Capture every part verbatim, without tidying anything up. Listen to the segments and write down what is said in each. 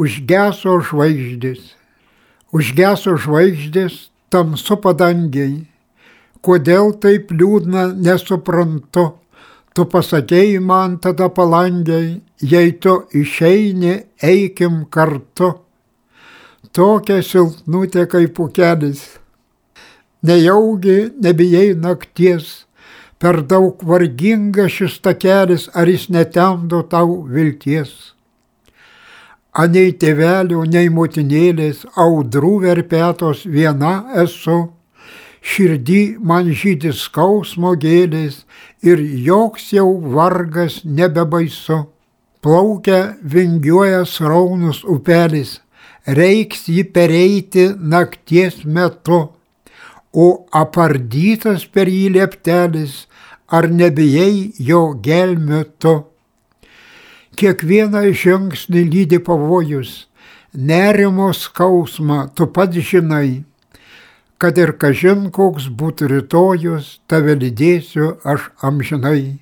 užgeso žvaigždės. Užgeso žvaigždės tamsu padangiai. Kodėl taip liūdna, nesuprantu. Tu pasakėjai man tada palangiai, jei tu išeini, eikim kartu. Tokia silpnutė kaip pukelis. Nejaugi nebijai nakties, per daug varginga šis takelis, ar jis netemdo tau vilties. Anei tėvelio, nei motinėlės, audrų verpetos viena esu, širdį man žydi skausmo gėlės ir joks jau vargas nebebaisu. Plaukia vingiuoja sraunus upelis, reiks jį pereiti nakties metu, o apardytas per jį lieptelis, ar nebijai jo gelmių tu. Kiekvieną žingsnį lydi pavojus, nerimo skausmą tu pats žinai, kad ir kažin koks būtų rytojus, tave lydėsiu aš amžinai.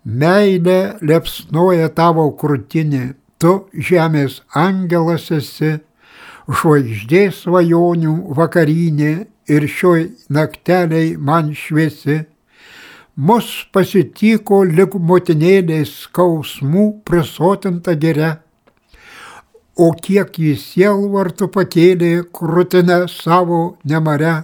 Meilė liepsnoja tavo krūtinė, tu žemės angelas esi, žvaigždės svajonių vakarinė ir šioj nakteliai man šviesi. Mus pasitiko lyg motinėlės skausmų prisotinta giria, o kiek jis sielvartų pakėlė krūtinę savo nemare.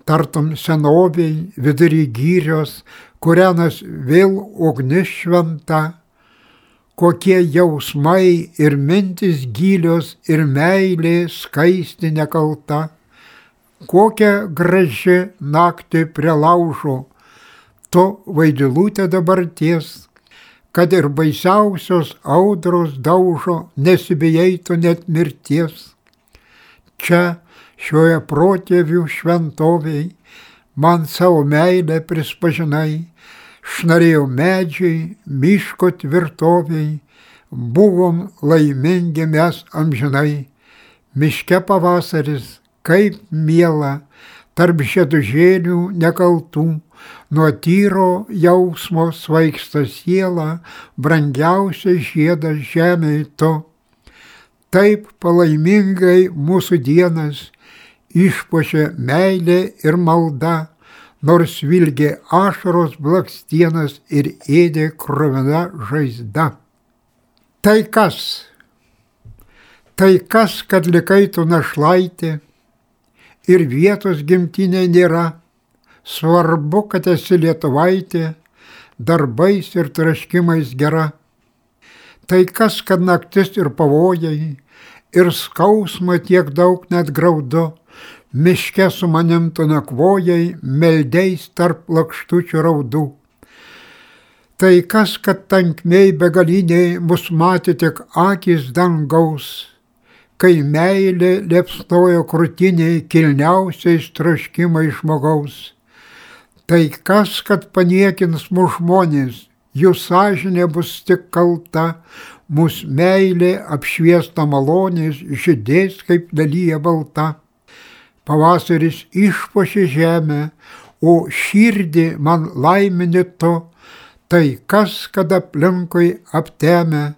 Tartum senoviai vidury gyrios, kurianas vėl ugnis šventa, kokie jausmai ir mintis gilios ir meilė skaisti nekalta. Kokia graži naktį prie laužo, tu vaidilutė dabarties, kad ir baisiausios audros daužo, nesibijai tu net mirties. Čia, šioje protėvių šventoviai, man savo meilę prispažinai, šnarėjo medžiai, miško tvirtoviai, buvom laimingi mes amžinai. Miške pavasaris, kaip miela, tarp žiedužėlių nekaltų, nuo tyro jausmo svaigsta siela, brangiausias žiedas žemėj tu. Taip palaimingai mūsų dienas išpuošė meilė ir malda, nors vilgė ašaros blakstienas ir ėdė kruvina žaizda. Tai kas? Tai kas, kad likai tu našlaitė ir vietos gimtinė nėra? Svarbu, kad esi lietuvaitė, darbais ir traškimais gera. Tai kas, kad naktis ir pavojai, ir skausmo tiek daug net graudu, miške su manim tu nakvojai, meldeis tarp lakštučių raudų. Tai kas, kad tankmėj begaliniai mus matė tik akys dangaus, kai meilė liepsnojo krūtiniai kilniausiais troškimai žmogaus. Tai kas, kad paniekins mūsų žmonės, jų sąžinė bus tik kalta, mūsų meilė apšviesta malonės žydės kaip dalyja balta. Pavasaris išpuošė žemę, o širdį man laimini tu, tai kas, kad aplinkui aptemę,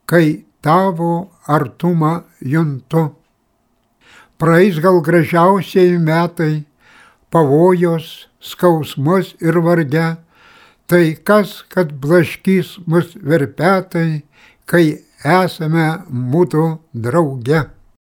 kai tavo artumą juntu. Praeis gal gražiausiai metai, pavojos, skausmus ir varge, tai kas, kad blaškys mus verpetai, kai esame mūsų drauge.